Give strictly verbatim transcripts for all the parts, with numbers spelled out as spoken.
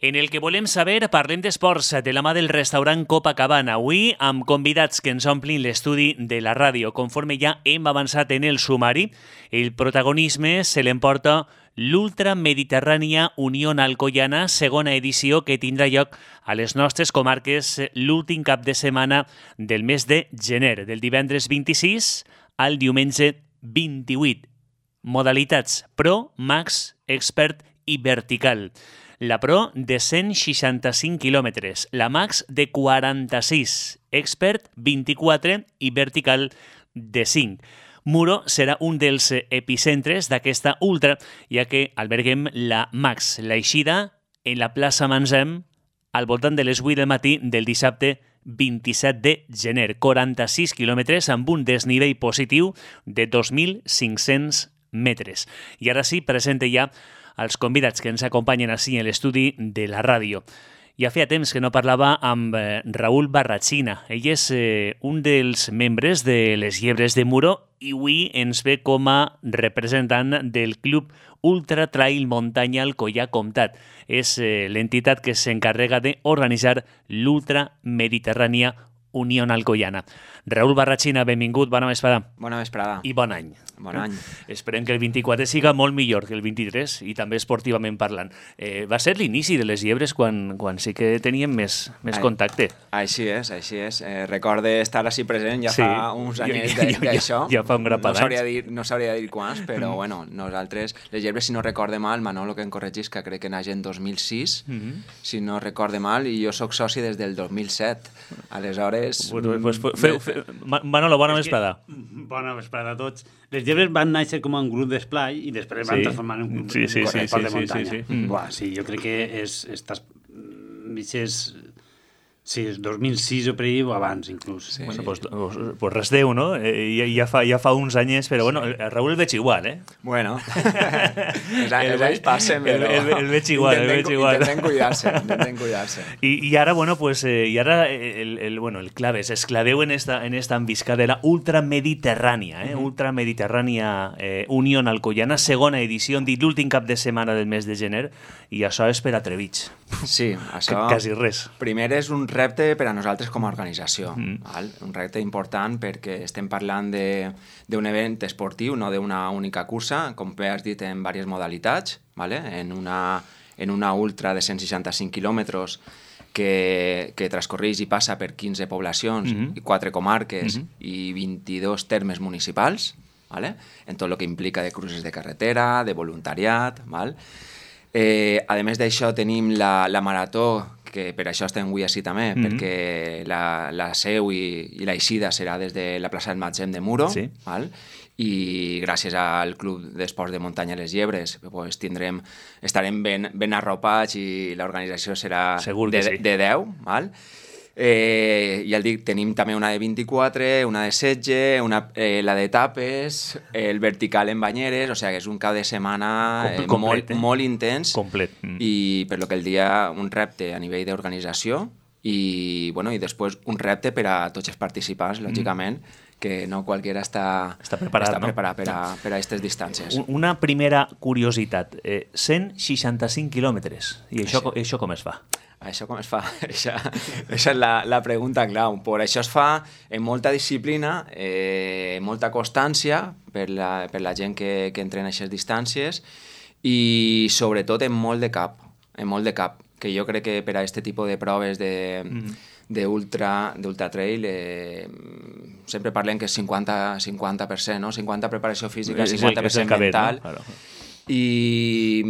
En el que volem saber, parlem d'esports de la mà del restaurant Copacabana. Avui amb convidats que ens omplin l'estudi de la ràdio. Conforme ja hem avançat en el sumari, el protagonisme se l'emporta l'Ultra Mediterrània Unió Alcoiana, segona edició que tindrà lloc a les nostres comarques l'últim cap de setmana del mes de gener, del divendres vint-i-sis al diumenge vint-i-vuit. Modalitats Pro, Max, Expert i Vertical. La Pro de cent seixanta-cinc quilòmetres, la Max de quaranta-sis, Expert vint-i-quatre i Vertical de cinc. Muro serà un dels epicentres d'aquesta ultra, ja que alberguem la Max, l'eixida en la plaça Manzem al voltant de les vuit del matí del dissabte vint-i-set de gener, quaranta-sis quilòmetres amb un desnivell positiu de dos mil cinc-cents metres. I ara sí, presente ja als convidats que ens acompanyen així en l'estudi de la ràdio. Ja feia temps que no parlava amb eh, Raúl Barrachina. Ell és eh, un dels membres de les Llebres de Muro i avui ens ve com a representant del Club Ultra Trail Muntanya Alcoià Comtat. És eh, l'entitat que s'encarrega d'organitzar l'Ultra Mediterrània Unió Alcoiana. Raúl Barrachina, benvingut, bona vesprada. Bona vesprada. I bon any. Bon any. Esperem que el vint-i-quatre siga molt millor que el vint-i-tres i també esportivament parlant. Eh, va ser l'inici de les Llebres quan, quan sí que teníem més, més Ai, contacte. Així és, així és. Eh, recorde estar així present ja Sí. fa uns anys Ja- ja- d'això. ja- ja fa un grapat no sabria d'anys. dir, no sabria dir quants, però bueno, nosaltres, les Llebres, si no recorde mal, Manolo que em corregís, que crec que naix en dos mil sis, Mhm. si no recorde mal, i jo sóc soci des del dos mil set. Aleshores... Pues, pues, pues, feu, feu, Ma- Manolo, bona vesprada. Bona vesprada a tots. Les Llebres van néixer com un grup d'esplai i després van Sí. transformar en un grup Sí, sí, de sí, esport sí, de sí, muntanya. sí, sí. Mm. Buah, sí, jo crec que és... Estàs... Vixes... Sí, és dos mil sis o per ahí o abans, inclús. Sí. Bueno, pues, pues, pues res Déu, no? Eh, ja, ja, fa, ja fa uns anyes, però bueno, el Raúl el veig igual, eh? Bueno, els, anys- El els anys ve- passen, el- però... el- el veig igual, el intenten- veig igual. Intenten cuidar-se, intenten cuidar-se. I, i ara, bueno, pues, eh, i ara el, el, bueno, el clave és esclaveu en esta, en esta envisca de la Ultra Mediterrània, eh? Mhm. Ultra Mediterrània eh, Unió Alcoiana, segona edició, hem dit l'últim cap de setmana del mes de gener, i això és per atrevits. Sí, això... Que- quasi res. Primer és un repte per a nosaltres com a organització, Mm. val? Un repte important perquè estem parlant de- d'un event esportiu, no d'una única cursa, com bé has dit, en diverses modalitats, vale? en, una, en una ultra de cent seixanta-cinc quilòmetres que, que transcorreix i passa per quinze poblacions, Mhm. i quatre comarques Mhm. i vint-i-dos termes municipals, vale? En tot el que implica de cruces de carretera, de voluntariat, val? Eh, a més d'això tenim la, la marató, que per això estem avui així també, Mhm. perquè la, la seu i, i l'eixida serà des de la plaça del Matzem de Muro, Sí. val? I gràcies al Club d'Esports de Muntanya Les Llebres pues, tindrem, estarem ben, ben arropats i l'organització serà Segur que de, sí. de deu, val? Eh, ja el dic, tenim també una de vint-i-quatre, una de setze, una, eh, la d'etapes, el vertical en banyeres, o sigui que és un cap de setmana Com- eh, complet, molt, eh? molt intens Complet. Mm. i per lo que el dia un repte a nivell d'organització i, bueno, i després un repte per a tots els participants, lògicament, que no qualsevol està, Està preparat, està no? preparat per a, per a aquestes distàncies. Un- Una primera curiositat. Eh, cent seixanta-cinc quilòmetres. I això, Sí. això com es fa? Això com es fa? Això, això és la, la pregunta clau. Per això es fa en molta disciplina, eh, molta constància per la, per la gent que, que entrena aquestes distàncies i sobretot en molt de cap, en molt de cap, que jo crec que per a aquest tipus de proves de, Mhm. d'ultra, d'ultra trail eh, sempre parlem que és cinquanta, cinquanta per cent, no? cinquanta preparació física, És el- cinquanta per és el cent que ve, mental, no? Claro. i,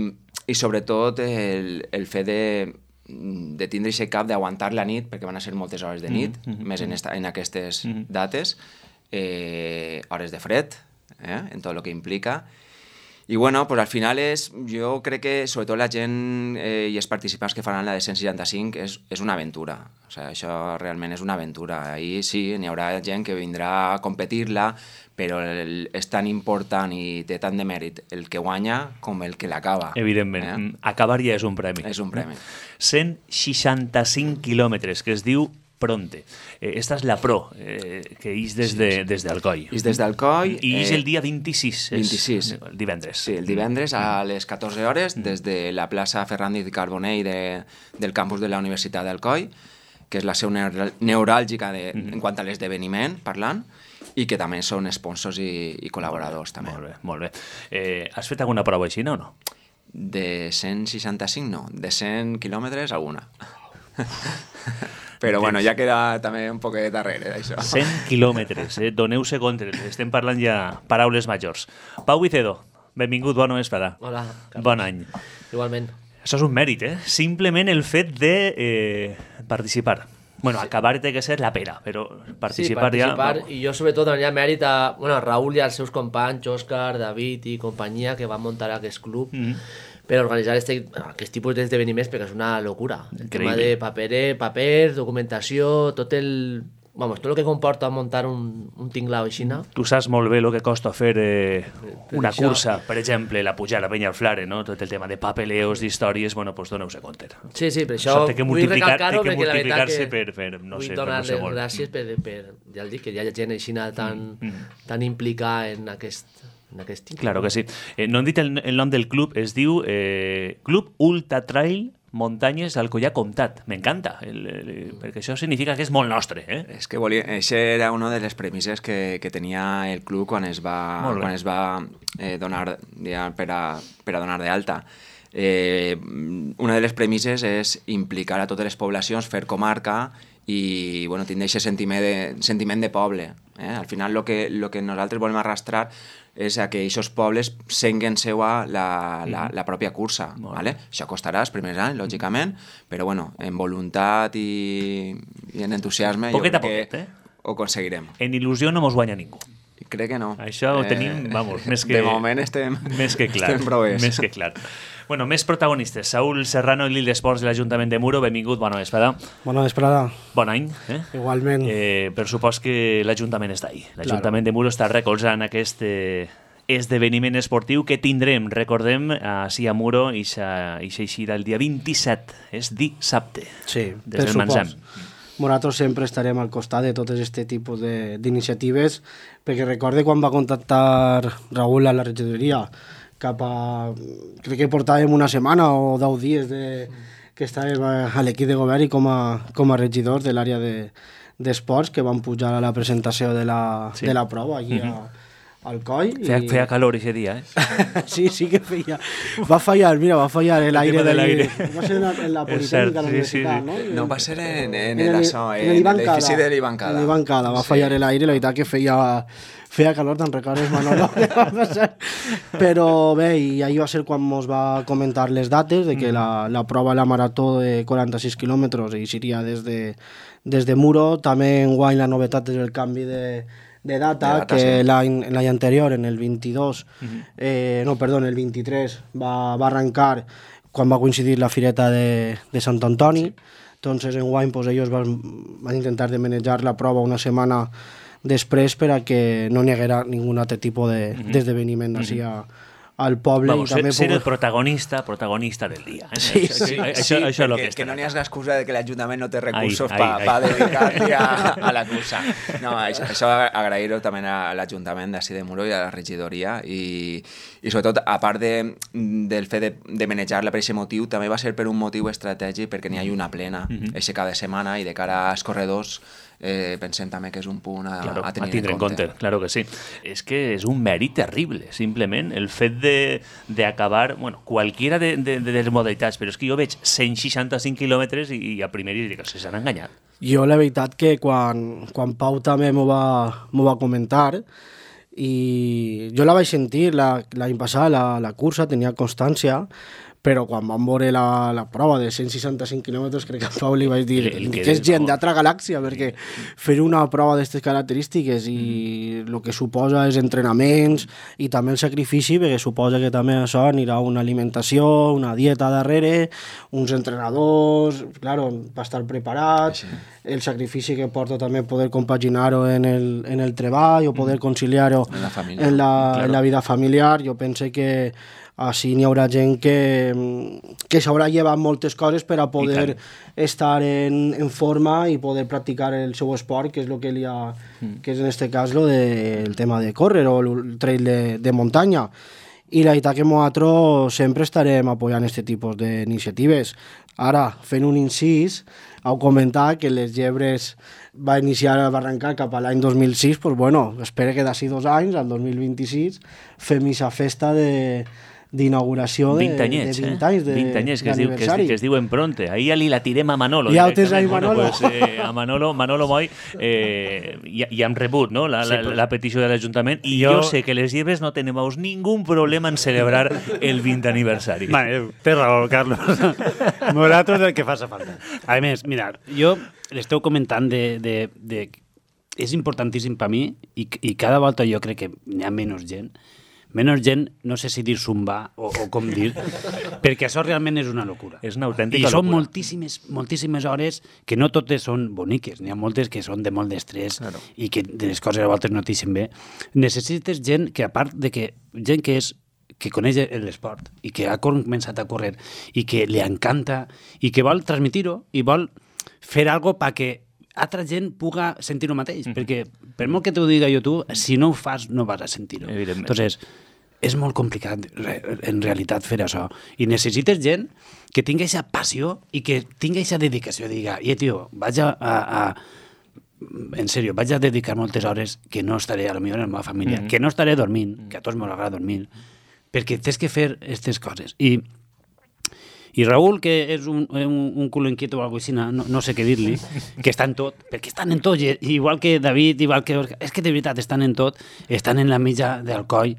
i sobretot el, el fet de, de tindre aquest cap d'aguantar la nit, perquè van a ser moltes hores de nit, Mhm, mhm, més en, esta, en aquestes Mhm. dates, eh, hores de fred, eh, en tot el que implica. I bueno, pues al final és, jo crec que sobretot la gent eh, i els participants que faran la de cent seixanta-cinc és, és una aventura. O sigui, això realment és una aventura. Ahir sí, n'hi haurà gent que vindrà a competir-la, però el, és tan important i té tant de mèrit el que guanya com el que l'acaba. Evidentment. Eh? Acabar ja és un premi. És un premi. cent seixanta-cinc quilòmetres, que es diu Pronte. Eh, esta és la Pro, eh, que ix des, de, des d'Alcoi. Ix des d'Alcoi. I ix eh, el dia vint-i-sis. vint-i-sis. El divendres. Sí, el divendres a les catorze hores des de la plaça Fernández Carbonell de, del campus de la Universitat d'Alcoi, que és la seu neuràlgica de, en quant a l'esdeveniment, parlant, i que també són sponsors i, i col·laboradors. També. Molt bé, molt bé. Eh, has fet alguna prova així, no? no? De cent seixanta-cinc no, de cent quilòmetres alguna. Però bueno, ja queda també un poc darrere d'això. cent quilòmetres, eh? Doneu-se compte, estem parlant ja paraules majors. Pau Vicedo, benvingut, bona vesprada. Hola, Carlos. Bon any. Igualment. Això és un mèrit, eh? Simplement el fet de eh, participar. Bueno, sí. Acabar té que ser la pera, però participar, sí, participar ja... I jo sobretot donaria mèrit a, bueno, a Raúl i als seus companys, Òscar, David i companyia, que van muntar aquest club mm -hmm. per organitzar este, aquest tipus d'esdeveniments, perquè és una locura. El Increïble. tema de paper, paper, documentació, tot el... Vamos, tot el que comporta muntar un, un tinglao així, no? Tu saps molt bé el que costa fer eh, una això... cursa, per exemple, la pujar a la Penya al Flare, no? Tot el tema de papeleos, d'històries, bueno, doncs doneu-se compte. Sí, sí, per això, això té que vull recalcar-ho, té que perquè la veritat que per, per, no vull sé, donar-les per no sé gràcies per, per, ja el dic, que hi ha gent així tan, mm, mm. tan implicada en aquest, en aquest tinglao. Claro que sí. Eh, no hem dit el, el nom del club, es diu eh, Club Ultra Trail Muntanyes d'Alcoià Comtat. M'encanta, el, el, perquè això significa que és molt nostre. Eh? És que volia, això era una de les premisses que, que tenia el club quan es va, quan es va eh, donar ja, per, a, per a donar d'alta. Eh, una de les premisses és implicar a totes les poblacions, fer comarca i bueno, tindre aquest sentiment de, sentiment de poble. Eh? Al final el que, lo que nosaltres volem arrastrar és a que aquests pobles senguen seua la, la, la pròpia cursa. ¿Vale? Això costarà els primers anys, lògicament, però bueno, en voluntat i, i en entusiasme poquet jo a crec poquet, que eh? ho aconseguirem. En il·lusió no mos guanya ningú. Crec que no. Això ho tenim, vamos, més que... De moment estem, més que clar, estem prou més que clar. Bueno, més protagonistes. Saúl Serrano, l'Il d'Esports de l'Ajuntament de Muro, benvingut, bona vesprada. Bona vesprada. Bon any. Eh? Igualment. Eh, per supòs que l'Ajuntament està ahí. L'Ajuntament claro. de Muro està recolzant aquest eh, esdeveniment esportiu que tindrem, recordem, així a Muro, i s'eixirà el dia vint-i-set, és dissabte. Sí, des per del Manzam. Nosaltres sempre estarem al costat de tots aquest tipus d'iniciatives, perquè recorde quan va contactar Raúl a la regidoria, cap a... crec que portàvem una setmana o deu dies de, que estàvem a l'equip de govern i com a, com a regidors de l'àrea d'esports, de, que van pujar a la presentació de la, sí. de la prova aquí a, al coll. Feia, i... feia calor aquest dia, eh? sí, sí que feia. Va fallar, mira, va fallar el aire de l'aire. Va ser en la Politécnica de la Universitat, sí, sí, sí. no? No va ser en, en, en l'edifici de l'Ibancada. En l'Ibancada, va fallar sí. l'aire, la veritat que feia... feia calor, te'n recordes, Manolo? Però bé, i ahir va ser quan ens va comentar les dates de que mm. la, la prova de la marató de quaranta-sis quilòmetres i seria des de, des de Muro. També enguany la novetat és el canvi de, de data, de data que sí. l'any anterior, en el vint-i-dos, mm-hmm. eh, no, perdó, en el vint-i-tres, va, va arrencar quan va coincidir la fireta de, de Sant Antoni. Sí. Entonces, enguany, pues, ells van, van intentar de manejar la prova una setmana després per a que no n'hi haguera ningú altre tipus d'esdeveniment de, mm-hmm. així al poble. Vamos, i també ser puc... el protagonista, protagonista del dia. Eh? Sí, això, sí, això, sí, això és el que, que no n'hi ha l'excusa de que l'Ajuntament no té recursos per pa dedicar-hi a, a la cursa. No, això, això agrair-ho també a l'Ajuntament d'ací de Muro i a la regidoria i, i sobretot, a part de, del fet de, de manejar-la per aquest motiu, també va ser per un motiu estratègic perquè n'hi ha una plena mm-hmm. eixe cada setmana i de cara als corredors Eh, pensem també que és un punt a, claro, a tenir a tindre en compte. compte. Claro que sí. És que és un mèrit terrible, simplement, el fet d'acabar, bueno, qualquiera de, de, de les modalitats, però és que jo veig cent seixanta-cinc quilòmetres i, i a primera dic que s'han enganyat. Jo la veritat que quan, quan Pau també m'ho va, va comentar i jo la vaig sentir l'any passat, la, la cursa, tenia constància, però quan vam veure la, la prova de cent seixanta-cinc quilòmetres, crec que a Pau li vaig dir el, el que, que és gent d'altra galàxia, perquè fer una prova d'aquestes característiques i mm. el que suposa és entrenaments i també el sacrifici, perquè suposa que també això anirà una alimentació, una dieta darrere, uns entrenadors, claro, per estar preparat, sí. el sacrifici que porta també poder compaginar-ho en el, en el treball o poder conciliar-ho en, la, en, la, claro. en la vida familiar. Jo penso que Així n'hi haurà gent que, que s'haurà llevat moltes coses per a poder estar en, en forma i poder practicar el seu esport, que és el que li ha, mm. que és en este cas lo de, el tema de córrer o el trail de, de muntanya. I la veritat que nosaltres sempre estarem apoyant aquest tipus d'iniciatives. Ara, fent un incís, heu comentat que les llebres va iniciar a arrencar cap a l'any dos mil sis, doncs bueno, espero que d'ací dos anys, al dos mil vint-i-sis, fem aquesta festa de d'inauguració de, vint anyets, de vint eh? anys de, vint anyets, que es, diu, que, es, que es diuen pronte. Ahí ja li la tirem a Manolo. Ja ho tens ahí, Manolo. Bueno, pues, eh, a Manolo, Manolo Moy eh, ja, ja hem rebut, no? la, la, sí, pues, la petició de l'Ajuntament i jo... jo sé que les lleves no tenim ningú problema en celebrar el vint aniversari. Vale, té raó, Carlos. Nosaltres el que faci falta. A més, mirad, jo l'esteu comentant de, de, de... És importantíssim per mi i, i cada volta jo crec que hi ha menys gent menys gent, no sé si dir zumba o, o com dir, perquè això realment és una locura. És una autèntica locura. I són locura. moltíssimes, moltíssimes hores que no totes són boniques, n'hi ha moltes que són de molt d'estrès claro. I que de les coses a voltes no t'ixen bé. Necessites gent que, a part de que gent que és que coneix l'esport i que ha començat a córrer i que li encanta i que vol transmitir-ho i vol fer alguna cosa perquè altra gent puga sentir el mateix, mm-hmm. perquè per molt que t'ho diga jo tu, si no ho fas no vas a sentir-ho. Entonces, és molt complicat en realitat fer això i necessites gent que tingui aquesta passió i que tingui aquesta dedicació, diga, i tio, vaig a, a, a en sèrio, vaig a dedicar moltes hores que no estaré a lo millor en la meva família, mm-hmm. que no estaré dormint, que a tots m'agrada dormir, perquè tens que fer aquestes coses. I I Raül, que és un, un, un culo inquieto o alguna cosa així, no, no sé què dir-li, que està en tot, perquè estan en tot, igual que David, igual que... És que de veritat estan en tot, estan en la mitja del coll.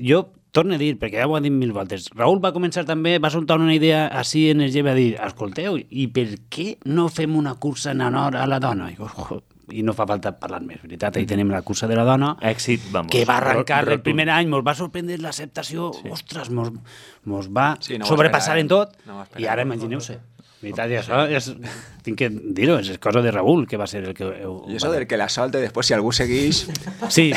Jo torno a dir, perquè ja ho he dit mil voltes, Raül va començar també, va soltar una idea així en el lleve a dir, escolteu, i per què no fem una cursa en honor a la dona? I, oh, i no fa falta parlar més, veritat, ahí tenim la cursa de la dona, èxit, vamos, que va arrencar el primer any, mos va sorprendre l'acceptació, sí. Ostres, mos, mos va sí, no sobrepassar en tot, no i ara imagineu-se. Veritat, i això és, tinc que dir-ho, és cosa de Raül, que va ser el que... Heu, I això del que la solte, després si algú segueix... Sí,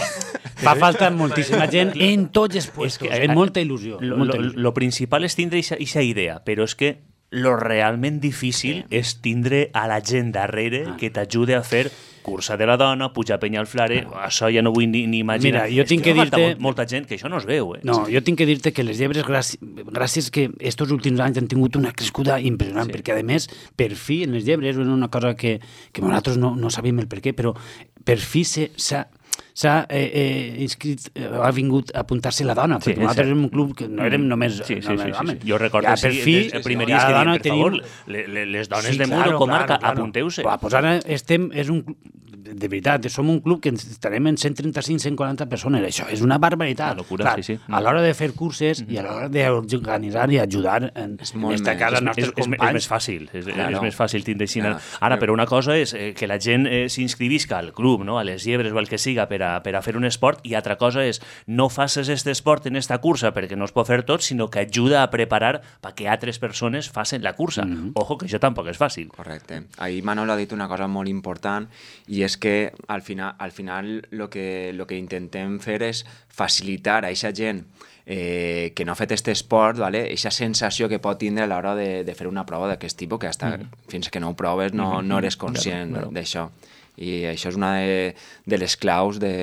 fa falta moltíssima gent en tots els puestos, que, en molta il·lusió. Lo, molta il·lusió. Lo, lo principal és tindre aquesta idea, però és que lo realment difícil sí. és tindre a la gent darrere ah. que t'ajude a fer cursa de la dona, pujar penya al flare, ah. això ja no vull ni, ni imaginar. Mira, jo tinc que, que dir-te... Molt, molta gent que això no es veu, eh? No, jo tinc que dir-te que les llebres, gràcies, gràcies que estos últims anys han tingut una crescuda impressionant, sí. perquè a més, per fi, en les llebres, és una cosa que, que nosaltres no, no sabíem el per què, però per fi s'ha... s'ha eh, eh, inscrit, eh, ha vingut a apuntar-se la dona, perquè sí, nosaltres érem un club que no érem només sí, sí, només sí, homes. Sí, sí. Jo recordo ja, sí, fi, el primer dia que dient, per favor, tenim... les dones sí, de Muro, claro, comarca, claro, claro. apunteu-se. Bah, pues ara estem, és un de veritat, som un club que estarem en cent trenta-cinc cent quaranta persones, això és una barbaritat. Una locura, clar, sí, sí. A l'hora de fer curses mm-hmm. i a l'hora d'organitzar i ajudar en esta casa als nostres és, companys. És més fàcil, és, claro. és més fàcil tindre així. Claro. Ara, però una cosa és eh, que la gent eh, s'inscrivisca al club, no? A les llebres o el que siga per a, per a fer un esport, i altra cosa és no faces este esport en esta cursa perquè no es pot fer tot, sinó que ajuda a preparar perquè altres persones facin la cursa. Mm-hmm. Ojo, que això tampoc és fàcil. Correcte. Ahir Manolo ha dit una cosa molt important i és que al final al final lo que, lo que intentem fer és facilitar a aquesta gent eh, que no ha fet aquest esport, vale? Aquesta sensació que pot tindre a l'hora de, de fer una prova d'aquest tipus, que hasta mm-hmm. fins que no ho proves no, no eres conscient claro, claro. d'això. I això és una de, de les claus de...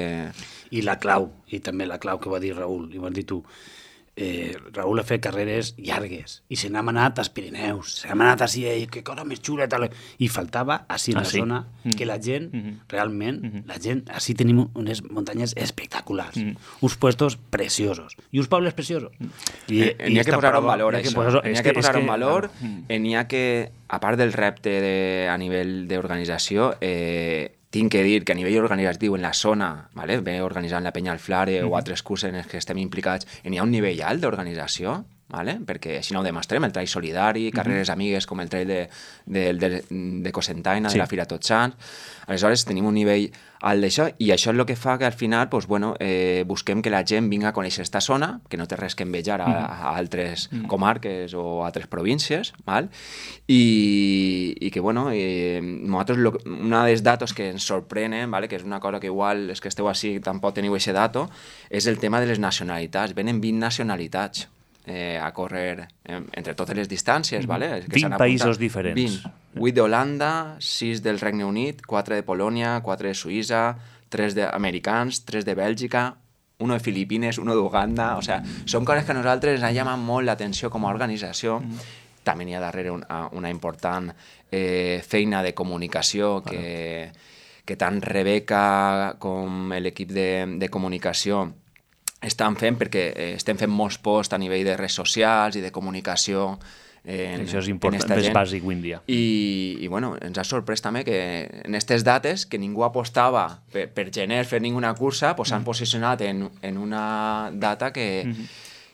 I la clau, i també la clau que va dir Raül, i vas dir tu, eh, Raül ha fet carreres llargues i se n'ha anat als Pirineus, se n'ha anat així, eh, que cosa més xula, tal. I faltava així en ah, la sí? zona mm. que la gent, mm-hmm. realment, mm-hmm. la gent, així tenim unes muntanyes espectaculars, mm. uns puestos preciosos i uns pobles preciosos. I, I, i n'hi ha que posar un valor, això. N'hi ha que posar un valor, n'hi ha que, a part del repte de, a nivell d'organització, eh, tinc que dir que a nivell organitzatiu en la zona, vale, bé organitzant la Penya al Flare mm. o altres curses en els que estem implicats, n'hi ha un nivell alt d'organització, vale? Perquè així no ho demostrem, el trail solidari, mm-hmm. carreres amigues com el trail de, de, de, de Cocentaina, sí. de la Fira Tots Sants. Aleshores tenim un nivell alt d'això i això és el que fa que al final pues, bueno, eh, busquem que la gent vinga a conèixer aquesta zona, que no té res que envejar a, a altres mm. comarques o a altres províncies, val? I, i que bueno, eh, nosaltres lo, una dels datos que ens sorprenen, vale? Que és una cosa que igual és que esteu així tampoc teniu aquest dato, és el tema de les nacionalitats. Venen vint nacionalitats. eh, a córrer eh, entre totes les distàncies, Mm-hmm. vale? Que vint s'han països apuntat. diferents. vint. vuit d'Holanda, sis del Regne Unit, quatre de Polònia, quatre de Suïssa, tres d'americans, tres de Bèlgica, uno de Filipines, uno d'Uganda... O sea, són coses que a nosaltres ens han llamat molt l'atenció com a organització. Mm. També hi ha darrere una, una important eh, feina de comunicació que, que tant Rebeca com l'equip de, de comunicació estan fent, perquè eh, estem fent molts posts a nivell de redes socials i de comunicació. En, Això és important, és bàsic avui en dia. I, i bueno, ens ha sorprès també que en aquestes dates, que ningú apostava per, per gener fer ninguna cursa, pues s'han mm. posicionat en, en una data que, mm -hmm.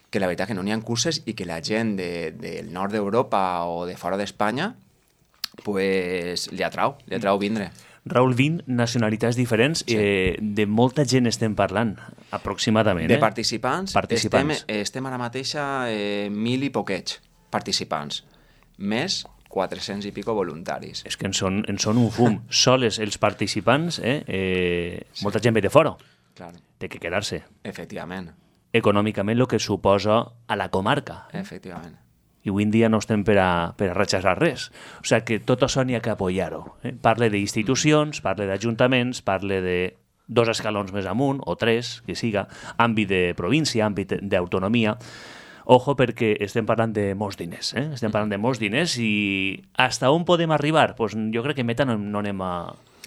que la veritat que no n'hi ha curses i que la gent de, del nord d'Europa o de fora d'Espanya pues, li atrau, li atrau vindre. Raül, vint nacionalitats diferents, sí. eh, de molta gent estem parlant, aproximadament. De eh? participants, participants. Estem, estem ara mateix a eh, mil i poquets participants, més quatre-cents i pico voluntaris. És que en són, en són un fum. Soles els participants, eh? eh sí. Molta gent ve de fora. Claro. Té que quedar-se. Efectivament. Econòmicament el que suposa a la comarca. Eh? Efectivament. I avui en dia no estem per a, per a rechaçar res. O sigui que tot això n'hi ha que apoyar-ho. Eh? Parle d'institucions, parle d'ajuntaments, parle de dos escalons més amunt, o tres, que siga, àmbit de província, àmbit d'autonomia. Ojo, perquè estem parlant de molts diners, eh? Estem parlant de molts diners i hasta on podem arribar? Pues jo crec que meta no, no anem a...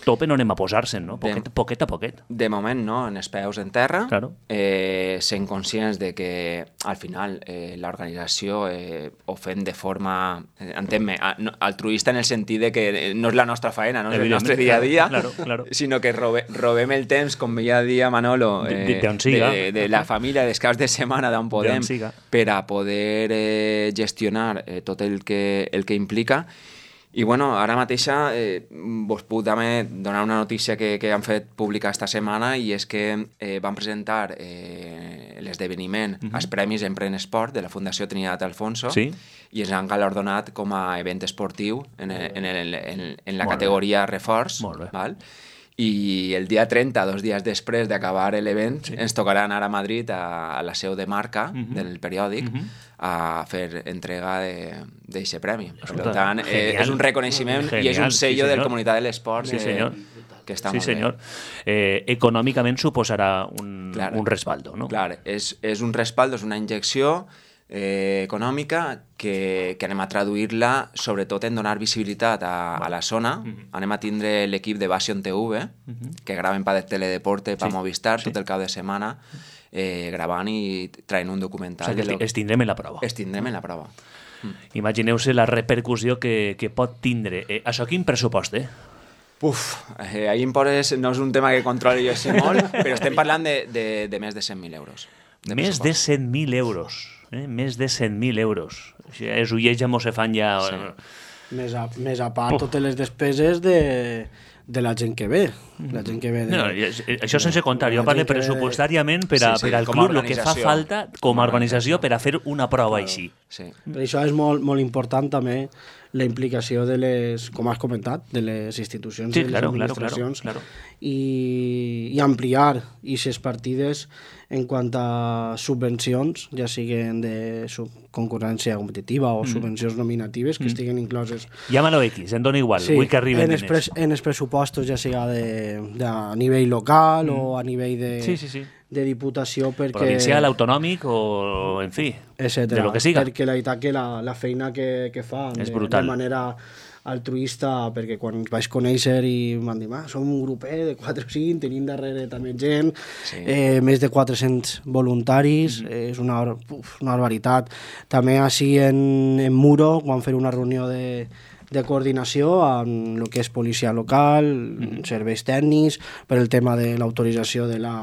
tope no anem a posar-se'n, no? Poquet, de, poquet a poquet. De moment no, en els peus en terra, claro. eh, sent conscients de que al final eh, l'organització eh, ho fem de forma, eh, entén-me, altruista en el sentit de que no és la nostra faena, no és el nostre dia a dia, claro, claro. sinó que robe, robem el temps, com veia dia Manolo, eh, de, de, de, de, de la família, dels caps de setmana d'on podem, per a poder eh, gestionar eh, tot el que, el que implica. I bueno, ara mateixa eh, vos puc també donar una notícia que, que han fet pública esta setmana i és que eh, van presentar eh, l'esdeveniment uh-huh. als Premis Empren Esport de la Fundació Trinitat Alfonso sí? i ens han galardonat com a event esportiu en, el, en, el, en, en la Molt categoria bé. Reforç. Molt bé. Val? I el dia trenta, dos dies després d'acabar l'event, sí. ens tocarà anar a Madrid, a, a la seu de marca uh-huh. del periòdic, uh-huh. a fer entrega d'aquest premi. Escolta, per tant, eh, és un reconeixement genial, i és un sello sí, del Comunitat de l'Esport sí, eh, que està sí, molt senyor. bé. Eh, econòmicament suposarà un, clar, un respaldo, no? Clar, és, és un respaldo, és una injecció eh, econòmica que, que anem a traduir-la sobretot en donar visibilitat a, a la zona. Uh-huh. Anem a tindre l'equip de Bastion T V, uh-huh. que graven per Teledeporte, per sí. Movistar, sí. tot el cap de setmana, eh, gravant i traient un documental. O sigui que lo... es tindrem en la prova. Es tindrem en la prova. Mm. Imagineu-se la repercussió que, que pot tindre. Eh, això quin pressupost, eh? Uf, eh, ahir em poses, no és un tema que controli jo sé molt, però estem parlant de, de, de més de cent mil euros. De més de cent mil euros. Eh? Més de cent mil euros. O sigui, els ulls ja mos se fan ja... Sí. Més a, més a part Uf. totes les despeses de, de la gent que ve. La gent que ve de, no, això sense comptar. Jo parlo pressupostàriament per, a, sí, sí, per al club, el que fa falta com a organització per a fer una prova claro, així. Sí. Per això és molt, molt important també la implicació de les, com has comentat, de les institucions sí, i de les claro, administracions claro, claro. I, i ampliar aquestes partides en quant a subvencions, ja siguin de concurrència competitiva o mm. subvencions nominatives que mm. estiguen incloses. Llámalo X, em dona igual, sí, vull que arriben en diners. En els pressupostos, ja siga de, de a nivell local mm. o a nivell de... Sí, sí, sí. de diputació perquè... Provincial, autonòmic o, en fi, etcètera. De lo que siga. Perquè la veritat que la, la feina que, que fan és de, brutal. De manera altruista, perquè quan vaig conèixer i m'han dit, ah, som un grupet de quatre o cinc, tenim darrere també gent, sí. eh, més de quatre-cents voluntaris, mm-hmm. eh, és una, uf, una barbaritat. També així en, en Muro, quan fer una reunió de de coordinació amb el que és policia local, mm-hmm. serveis tècnics, per el tema de l'autorització de la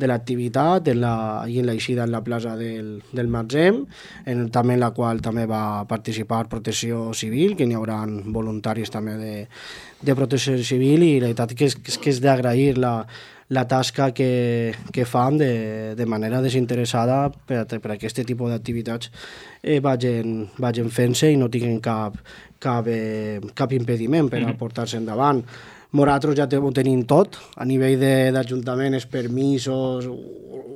de l'activitat en la, i en l'eixida en la plaça del, del Matzem, en, també en la qual també va participar Protecció Civil, que n'hi haurà voluntaris també de, de Protecció Civil, i la veritat que és que és, que és d'agrair la, la tasca que, que fan de, de manera desinteressada per a, per a aquest tipus d'activitats eh, vagin, vagin fent-se i no tinguin cap, cap, eh, cap impediment per a portar-se endavant. nosaltres ja ho tenim tot, a nivell d'Ajuntament, els permisos, ho,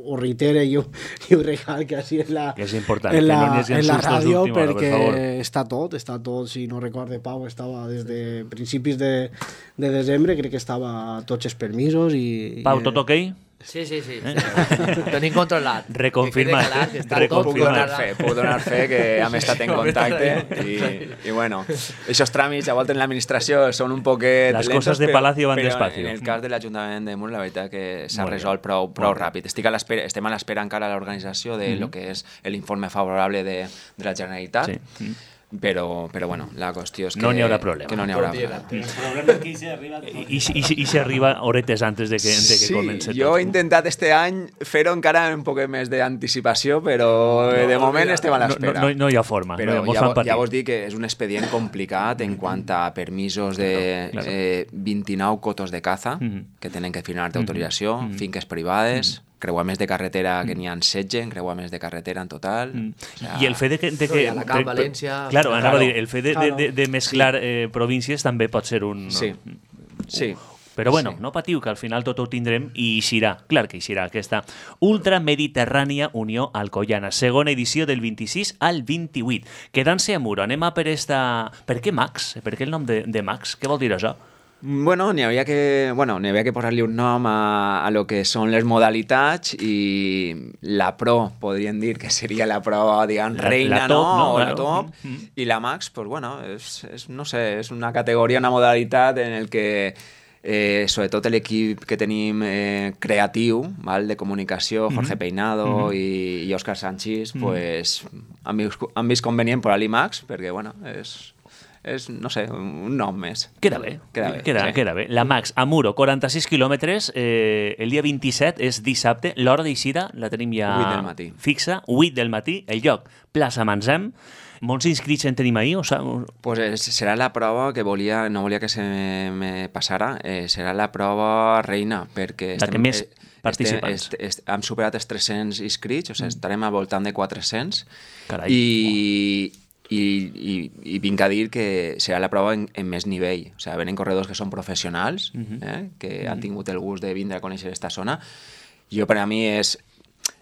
ho reitere i ho, i ho recalque així en la, és important, en la, que no n'hi en la ràdio, per perquè favor. està tot, està tot, si no recorde Pau, estava des de principis de, de desembre, crec que estava tots els permisos i... Pau, tot ok? Sí, sí, sí. sí. Ho tenim controlat. Reconfirmat. Que, que està Puc tot donar controlat. fe, puc donar fe que hem estat en contacte i, i bueno, aquests tràmits a voltes en l'administració són un poquet Les lentos, coses de però, Palacio van però despacio. en el cas de l'Ajuntament de Mur, la veritat que s'ha Molt bé. resolt prou, prou Molt bé. ràpid. Estic a l'espera, estem a l'espera encara a l'organització de lo que és l'informe favorable de, de la Generalitat. Sí. Però, però bueno, la qüestió és que No n'hi haurà problema. Que no n'hi haurà problema. El problema és que se arriba... I, i, i, i si arriba horetes antes de que, de que Sí, comenci jo tot. he intentat este any fer-ho encara amb un poc més d'anticipació, però de moment estem a No, l'espera. no, no hi ha forma. Però no hi ha, ja, fan vo- patir. ja vos dic que és un expedient complicat en quant a permisos de Claro, claro. eh, vint-i-nou cotos de caza Mhm. que tenen que firmar d'autorització, finques privades, creuaments de carretera que n'hi ha setze, creuaments de carretera en total. O sea, I el fet de que... De que I Alacant, València... Claro, anava Claro. a dir, el fet de, de, de, de mesclar eh, províncies també pot ser un... Sí, sí. Però bueno, Sí. no patiu, que al final tot ho tindrem i eixirà, clar que eixirà aquesta Ultramediterrània Unió Alcoyana, segona edició del vint-i-sis al vint-i-vuit. Quedant-se a Muro, anem a per esta... Per què Max? Per què el nom de, de Max? Què vol dir això? Bueno, n'hi havia que, bueno, n'hi havia que posar-li un nom a, a lo que són les modalitats i la Pro, podríem dir que seria la prova, diguem, La- reina, la top, no? no? O la Claro. top. Mm. I la Max, pues bueno, és, és, no sé, és una categoria, una modalitat en el que eh, sobretot l'equip que tenim eh, creatiu, val, de comunicació, Jorge Peinado i, i Òscar Sanchís, pues, han, vist, han vist convenient posar-li Max, perquè, bueno, és... és, no sé, un nom més. Queda bé, Queda bé, queda, sí. queda bé. La Max, a Muro, quaranta-sis quilòmetres, eh, el dia vint-i-set és dissabte, l'hora d'eixida la tenim ja Vuit del matí. fixa, vuit del matí, el lloc, plaça Manzem. Molts inscrits en tenim ahir, o sigui, Pues és, serà la prova que volia, no volia que se me, me passara, eh, serà la prova reina, perquè La que més eh, participants. Estem, est, est, hem superat els tres-cents inscrits, o sigui, estarem al voltant de quatre-cents, Carai. i, i, i, i vinc a dir que serà la prova en, en més nivell. O sigui, venen corredors que són professionals, eh, que han tingut el gust de vindre a conèixer aquesta zona. Jo, per a mi, és...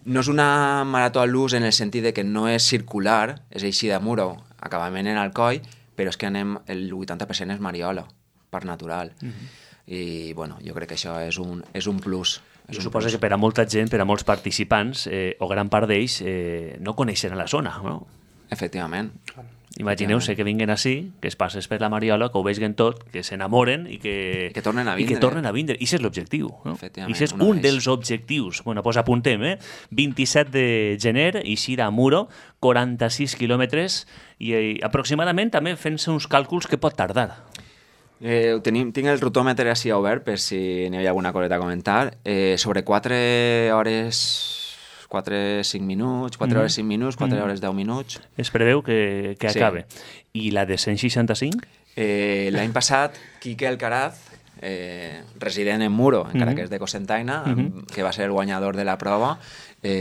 No és una marató a l'ús en el sentit de que no és circular, és així de Muro, acabament en Alcoi, però és que anem, el vuitanta per cent és Mariola, parc natural. I, bueno, jo crec que això és un, és un plus. És jo un suposo plus. que per a molta gent, per a molts participants, eh, o gran part d'ells, eh, no coneixen la zona, no? Efectivament. Imagineu-se que vinguen així, que es passes per la Mariola, que ho vegin tot, que s'enamoren i que... I que tornen a I que vindre. tornen a vindre. I això és l'objectiu. No? Efectivament, I això és una un vez. dels objectius. Bueno, doncs apuntem, eh? vint-i-set de gener, eixir a Muro, quaranta-sis quilòmetres, i eh, aproximadament també fent-se uns càlculs que pot tardar. Eh, ho tenim, tinc el rotòmetre així obert per si n'hi havia alguna coseta a comentar. Eh, sobre quatre hores... quatre, cinc minuts, quatre hores, cinc minuts, quatre hores, deu minuts. Es preveu que, que Sí. acabe. I la de cent seixanta-cinc? Eh, L'any passat, Quique Alcaraz, eh, resident en Muro, encara Mhm. que és de Cocentaina, que va ser el guanyador de la prova,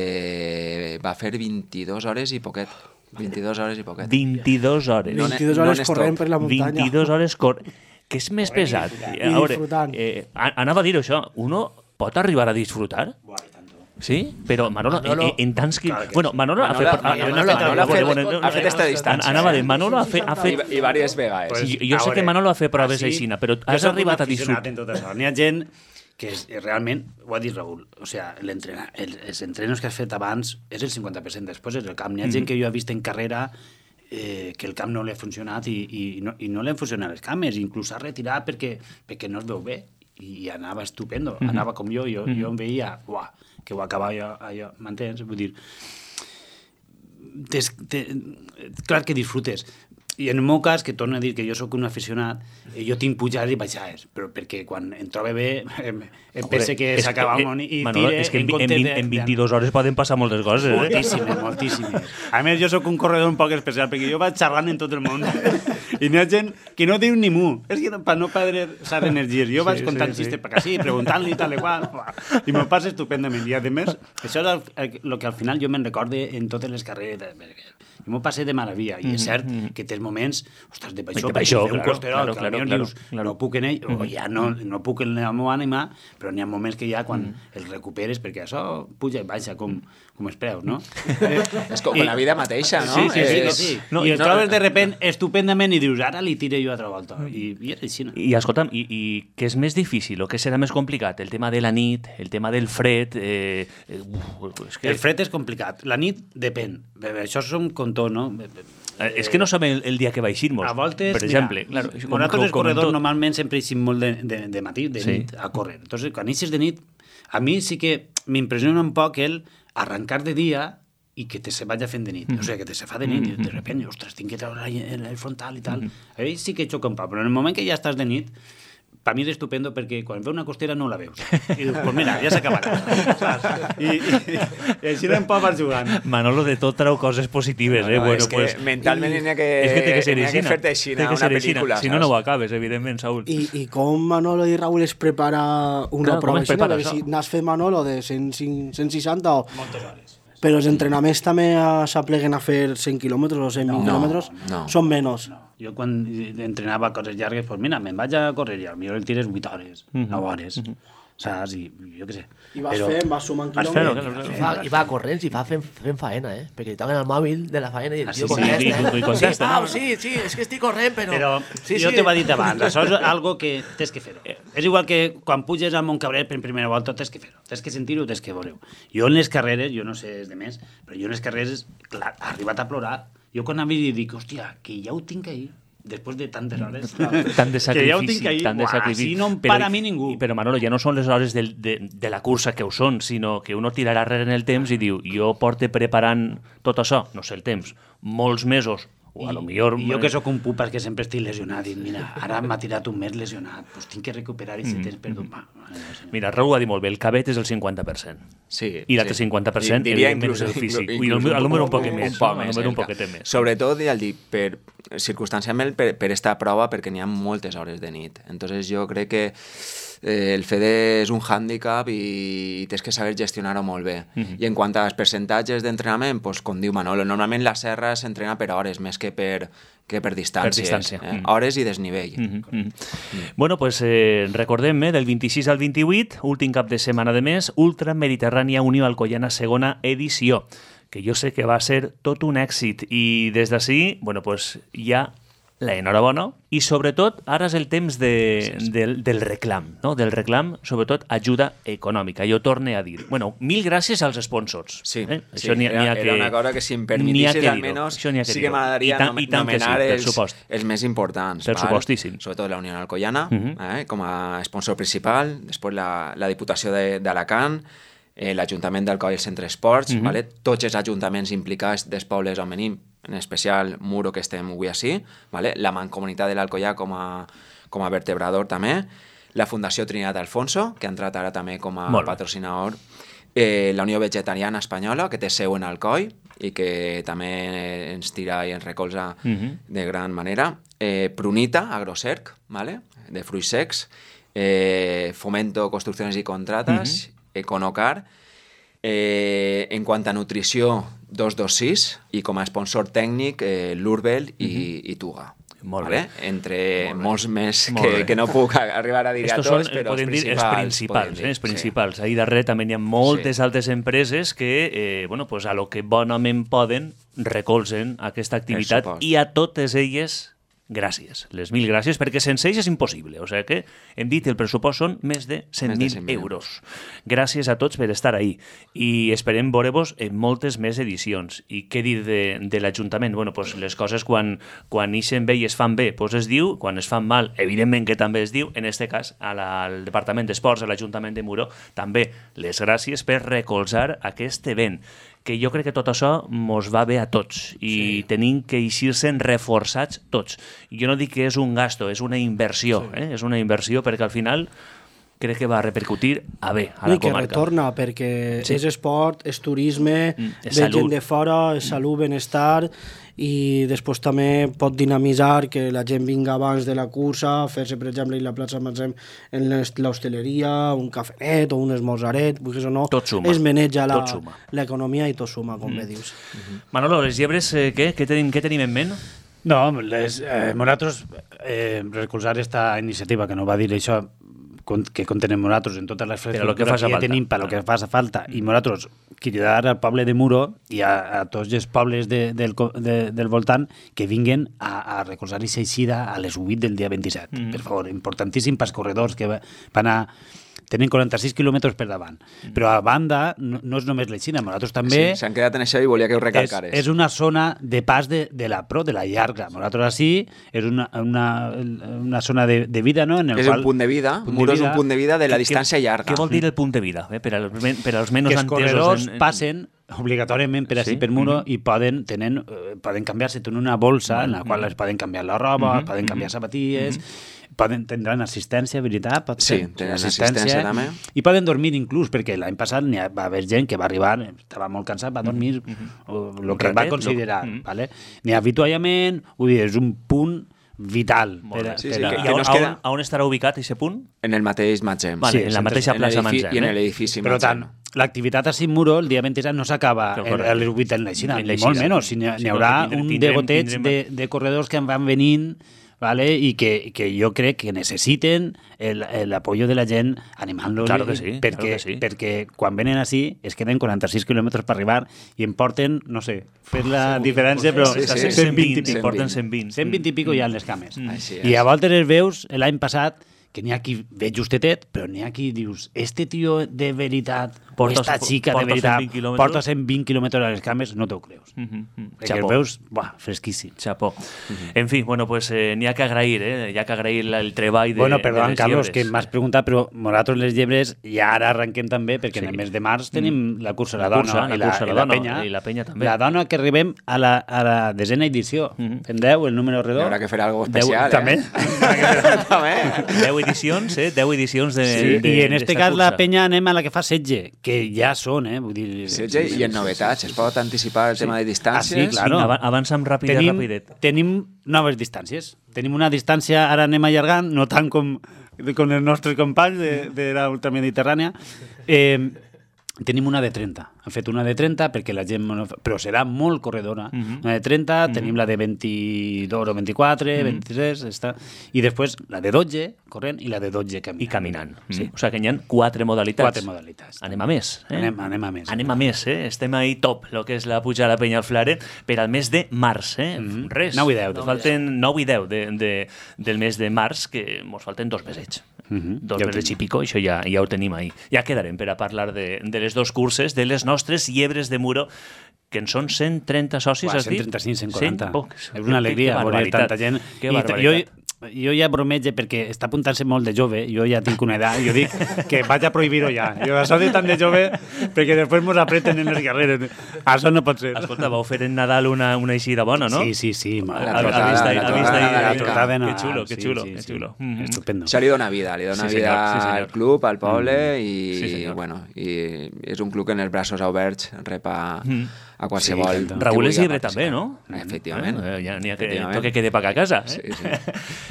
eh, va fer vint-i-dues hores i poquet. vint-i-dues hores i poquet. vint-i-dues hores. No ne- vint-i-dues no hores n'és corrent tot. per la muntanya. vint-i-dues hores cor... Què és més pesat? I disfrutant. eh, a- anava a dir això, uno pot arribar a disfrutar? Sí? Però Manolo, Manolo- en, en tants que... Bueno, Manolo, Manolo- ha fet... Manolo- ha- Manolo ha fet- bueno, ha fet esta distància. Anava a dir, Manolo ha fet... Ha I, fet I diverses vegades. jo, jo sé que Manolo ha fet proves aixina, però has arribat a disfrutar. En tot això. N'hi ha gent que és, realment, ho ha dit Raül, o sea, l'entrena- el, els entrenos que has fet abans és el cinquanta per cent, després és el camp. N'hi ha gent que jo he vist en carrera eh, que el camp no li ha funcionat i, i, no, i no li han funcionat les cames, inclús s'ha retirat perquè, perquè no es veu bé i anava estupendo, anava com jo, jo, jo em veia, uah, que ho acabava allò, allò m'entens? Vull dir, des, te, clar que disfrutes. I en el meu cas, que torno a dir que jo sóc un aficionat, eh, jo tinc pujades i baixades, però perquè quan em trobe bé em, em pense que és s'acaba que, el món i Manolo, tire és que en, en en, comptes en, de... en vint-i-dues hores poden passar moltes coses, eh? Moltíssimes, moltíssimes. A més, jo sóc un corredor un poc especial, perquè jo vaig xerrant en tot el món. I n'hi ha gent que no diu ni mu. És que per no perdre les energies. Jo vaig Sí, contant sí, sí. xistes per així, preguntant-li tal i qual. I m'ho passa estupendament. I, a més, això és el, el que al final jo me'n recorde en totes les carreres. i m'ho passé de meravella, i és cert que tens moments, ostres, de baixó, De baixó, un claro, costerol, claro, que claro, potser claro, dius, claro. no puc en ell, o ja no, no puc en la meva ànima, però n'hi ha moments que ja quan els recuperes, perquè això puja i baixa com, com els preus, no? És com la vida mateixa, no? Sí, sí, sí, És- sí. No, I el no, trobes de repent estupendament i dius, ara li tire jo altra volta. I, i és així, no? I escolta'm, i, i què és més difícil o què serà més complicat? El tema de la nit, el tema del fred... Eh, eh, uf, és que... El fred és complicat. La nit depèn. Això som com tot, no? Eh, és que no sabem el, el dia que va eixir-nos, A voltes, per exemple. mira, Claro, nosaltres els com en corredors tot. normalment sempre eixim molt de, de, de matí, de Sí. nit, a córrer. Entonces, quan eixes de nit, a mi sí que m'impressiona un poc el arrencar de dia i que te se vaya fent de nit. O sigui, que te se fa de nit i de repente, ostres, tinc que treure el, el frontal i tal. Ahí sí que xoca un poc, però en el moment que ja estàs de nit, per mi és estupendo perquè quan veu una costera no la veus. I dius, pues mira, ja s'acabarà. Saps? I, i, i així no em pot vas jugant. Manolo de tot trau coses positives, eh? No, bueno, és que pues, mentalment n'hi ha que, és que té que ser n'hi ha que aixina. fer-te aixina Té que una ser aixina. pel·lícula, Si no, no ho saps? acabes, evidentment, Saúl. I, I com Manolo i Raúl es prepara una Clar, com prova es així, prepara perquè això? si n'has fet Manolo de cent, cent seixanta o... Moltes hores. Però els entrenaments també eh, s'apleguen a fer cent quilòmetres o cent vint No, quilòmetres? no. Són menys. Jo quan entrenava coses llargues, pues mira, me'n vaig a córrer i potser el tires vuit hores, nou hores, saps? I jo què sé. I vas fent, vas sumant Vas fent-ho, quilòmetres. claro, I va, i va corrents i va fent, fent faena, eh? Perquè li toquen el mòbil de la faena i el Ah, tio sí, sí, contesta. i- i- i contesta, sí, Pau, no? sí, sí, és que estic corrent, però... Però sí, jo sí. t'ho he dit abans, això és algo que tens que fer-ho. És igual que quan puges a Montcabrer per primera volta, tens que fer-ho, tens que sentir-ho, tens que veure-ho. Jo en les carreres, jo no sé els de més, però jo en les carreres, clar, ha arribat a plorar. Jo quan havia dit, dic, hòstia, que ja ho tinc ahir, després de tantes hores. Tant de sacrifici, que ja ho tinc ahir, tant de buah, sacrifici. així no em Però- para a mi ningú. Però, Manolo, ja no són les hores del, de, de la cursa que ho són, sinó que uno tirarà rere en el temps i diu, jo porte preparant tot això, no sé el temps, molts mesos, o a lo millor... I jo que sóc un pupas que sempre estic lesionat, dic, mira, ara m'ha tirat un mes lesionat, doncs tinc que recuperar i si tens perdut. Va, Mira, Raúl ho ha dit molt bé, el cabet és el cinquanta per cent. Sí, I l'altre sí. cinquanta per cent, Diria evidentment, inclús, és el físic. inclús, I el, el número un poc un més. poc no? El més, número un encara. poquet més. Sobretot, ja el dic, per circumstancialment per, per esta prova, perquè n'hi ha moltes hores de nit. Entonces jo crec que eh, el fet és un hàndicap i, i tens que saber gestionar-ho molt bé. Mm -hmm. I en quant als percentatges d'entrenament, pues, com diu Manolo, normalment la serra s'entrena per hores més que per, que per distàncies. Per distància. Eh? Mm. Hores i desnivell. Mm -hmm. mm. Bueno, pues eh, recordem, eh, del vint-i-sis al vint-i-vuit, últim cap de setmana de mes, Ultra Mediterrània Unió Alcoyana, segona edició, que jo sé que va ser tot un èxit. I des d'ací, bueno, pues ja la enhorabona i sobretot ara és el temps de, del, del reclam, no? Del reclam, sobretot ajuda econòmica. Jo torne a dir, bueno, mil gràcies als sponsors. Sí, eh? sí, Això n'hi ha, era, n'hi ha era que, una cosa que si em n'hi ha permetissis que almenys dir-ho. Això n'hi ha que sí que dir-ho. m'agradaria I tant- nom i tant que sí, nomenar per els, supost. els més importants. Per val? supostíssim. Sobretot la Unió Alcoyana, Mhm. eh, com a sponsor principal, després la, la Diputació de- d'Alacant, eh, l'Ajuntament d'Alcoi i el Centre Esports, Mhm. vale? Tots els ajuntaments implicats dels pobles on venim, en especial Muro, que estem avui així, vale? La Mancomunitat de l'Alcoià com a, com a vertebrador també, la Fundació Trinidad Alfonso, que ha entrat ara també com a Molt bé. patrocinador, eh, la Unió Vegetariana Espanyola, que té seu en Alcoi i que també ens tira i ens recolza Mhm. de gran manera, eh, Prunita, Agrocerc, vale? De fruits secs, eh, Fomento Construcciones y Contratas, Econocar, eh, en quant a nutrició, dos dos sis, i com a sponsor tècnic, eh, l'Urbel i, i Tuga. Molt vale? bé. Entre Molt bé. molts més Molt bé. que, que no puc arribar a dir a Estos tots, són, però podem els dir, els principals. principals, podem eh, dir, els principals. Ahí darrere també hi ha moltes Sí. altres empreses que, eh, bueno, pues a lo que bonament poden, recolzen aquesta activitat supost. i a totes elles gràcies, les mil gràcies, perquè sense ells és impossible. O sigui que hem dit el pressupost són més de cent Més de mil cent mil euros. Gràcies a tots per estar ahí. I esperem veure-vos en moltes més edicions. I què dir de, de l'Ajuntament? Bueno, pues les coses quan, quan ixen bé i es fan bé, pues es diu, quan es fan mal, evidentment que també es diu, en este cas a la, al Departament d'Esports, a l'Ajuntament de Muro, també les gràcies per recolzar aquest event, que jo crec que tot això mos va bé a tots i sí. tenim que eixir-se'n reforçats tots. Jo no dic que és un gasto, és una inversió, sí. eh? És una inversió perquè al final crec que va repercutir a bé a I la que comarca. retorna, perquè Sí. és esport, és turisme, Mm, és ve salut. gent de fora, és salut, benestar, i després també pot dinamitzar que la gent vinga abans de la cursa, fer-se, per exemple, en la plaça Matzem, en l'est- l'hostaleria, un cafenet o un esmorzaret, vulguis o no, Tot suma. es maneja la- Tot suma. l'economia i tot suma, com bé dius. Manolo, les llebres, eh, què? Què tenim, què tenim en ment? No, les, eh, nosaltres eh, recolzar esta iniciativa, que no va dir això, con- que contenem nosaltres en totes les Per a lo que faça que ja falta. tenim per lo que faça falta, i nosaltres cridar al poble de Muro i a, a tots els pobles de, del, co- de, del voltant que vinguen a, a recolzar aquesta eixida a les vuit del dia vint-i-set. Mm. Per favor, importantíssim pels corredors que va- van a... Tenen quaranta-sis quilòmetres per davant. Mm. Però a banda, no, no és només l'eixida, nosaltres també... Sí, s'han quedat en això i volia que ho és, recalcares. és una zona de pas de, de la pro, de la llarga. Nosaltres així és una, una, una zona de, de vida, no? En el És qual, un punt de vida, punt de Muro és un vida, punt de vida de la Què- distància llarga. Què vol dir el punt de vida? Eh? Per, als, men- per als menys que els entesos... corredors en- en- passen obligatòriament per així Sí? per Muro Mhm. i poden, tenen, eh, poden canviar-se en una bolsa en la qual es poden canviar la roba, Mhm. poden canviar sabatilles, poden, tindran assistència, veritat? Pot Sí, ser? tenen assistència, també. I poden dormir inclús, perquè l'any passat n'hi ha, va haver gent que va arribar, estava molt cansat, va dormir o el que ratet, va lo- considerar. Mhm. Vale? N'hi ha avituallament, vull dir, és un punt vital. Molt bé. per a- Sí, per sí, a- que- I que on, no es on, queda- on estarà ubicat aquest punt? En el mateix Matzem. Vale, en la sempre mateixa En plaça l'edifi- Matzem. I en eh? l'edifici Per Matzem. tant, l'activitat a Muro el dia vint-i-set no s'acaba Que el- correcte. a les vuit en l'eixida, En ni l'eixida. molt menys. Si n'hi ha- Sí, n'hi no, haurà que tindrem- un tindrem- degoteig tindrem- de, de corredors que van venint, vale? I que, que jo crec que necessiten el- l'apoyo de la gent animant-los, Claro que sí, perquè, claro que sí. perquè quan venen així es queden quaranta-sis quilòmetres per arribar i em porten, no sé, fer la diferència, però sí, sí, cent vint i cent pico. porten cent vint. cent vint i pico ja en les cames. Així I és. a voltes els veus l'any passat que n'hi ha qui ve justetet, però n'hi ha qui dius, este tio de veritat, Porta- o esta xica de porta veritat, cent vint quilòmetres? porta cent vint quilòmetres a les cames, no t'ho creus. Mhm, mhm. Perquè Chapó. els veus, buah, fresquíssim. Chapó. En fi, bueno, pues eh, n'hi ha que agrair, eh? Hi ha que agrair la- el treball de, Bueno, de perdó, les Carlos, llebres. que m'has preguntat, però nosaltres les llebres ja ara arrenquem també, perquè Sí. en el mes de març tenim la cursa La la, cursa, dona, la i, la, cursa, la i la dona, penya. i la penya també. La dona que arribem a la, a la desena edició. Mhm. En deu, el número Hi redó. haurà que fer algo Deu- especial, també. eh? També. deu edicions, eh? deu edicions de, Sí, de, I en este d'esta cas la cursa. penya anem a la que fa setze, que ja són, eh? Vull dir, setze i en novetats. Es pot anticipar el tema de distàncies? Ah, sí, claro. Vinga, ava- avança'm ràpid, tenim, rapidet. tenim noves distàncies. Tenim una distància, ara anem allargant, no tant com, com els nostres companys de, de la ultramediterrània. Eh, tenim una de trenta. Hem fet una de trenta perquè la gent... no fa- Però serà molt corredora. Mhm. Una de trenta, tenim la de vint-i-dos o vint-i-quatre, vint-i-tres, està. I després la de dotze, corrent, i la de dotze caminant. I caminant. Sí. Mm. O sigui que hi ha quatre modalitats. Quatre modalitats. Anem a més. Eh? Anem, anem a més. Anem a més, eh? Estem ahí top, el que és la puja a la penya al Flare, per al mes de març, eh? Mhm. Res. nou i deu, de Ens falten nou i deu de, de, del mes de març, que ens falten dos mesets. Mhm. Dos Ja ho mesets i tenim. pico, això ja, ja ho tenim ahí. Ja quedarem per a parlar de, de les dos curses, de les nostres llebres de Muro, que en són cent trenta socis, Uah, has dit? cent trenta-cinc, cent quaranta. Oh, és una alegria que veure barbaritat. tanta gent. Que I barbaritat. jo, jo ja bromeig perquè està apuntant-se molt de jove, jo ja tinc una edat, jo dic que vaig a prohibir-ho ja. Jo això de tant de jove, perquè després mos apreten en les carreres. Això no pot ser. Escolta, vau fer en Nadal una, una eixida bona, no? Sí, sí, sí. La Ha- ha trotada, vist ahí- la ha vist trotada ahí- nadalenca. La trotada de Que Nadal, xulo, que sí, xulo, sí, que sí. xulo. Mhm. Estupendo. Això li dona vida, li dona Sí, vida senyor, sí, senyor. al club, al poble i, Sí, senyor. bueno, i és un club que en els braços oberts rep a, Mm. a qualsevol... Sí, que tant. Raúl és vulgui llibre també, participar. no? Efectivament. Eh, ja n'hi ha que Efectivament. toque que de pagar a casa. Eh? Sí, sí.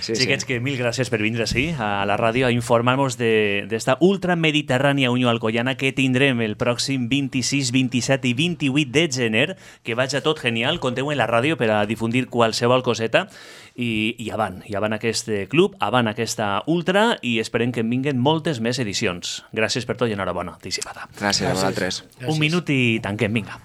Sí, sí. Xiquets, que mil gràcies per vindre així a la ràdio a informar-nos d'esta ultramediterrània Unió Alcoyana que tindrem el pròxim vint-i-sis, vint-i-set i vint-i-vuit de gener, que vaig a tot genial, conteu en la ràdio per a difundir qualsevol coseta i, i avant, i avant aquest club, avant aquesta ultra i esperem que en vinguen moltes més edicions. Gràcies per tot i enhorabona, anticipada. Gràcies a vosaltres. Un minut i tanquem, vinga.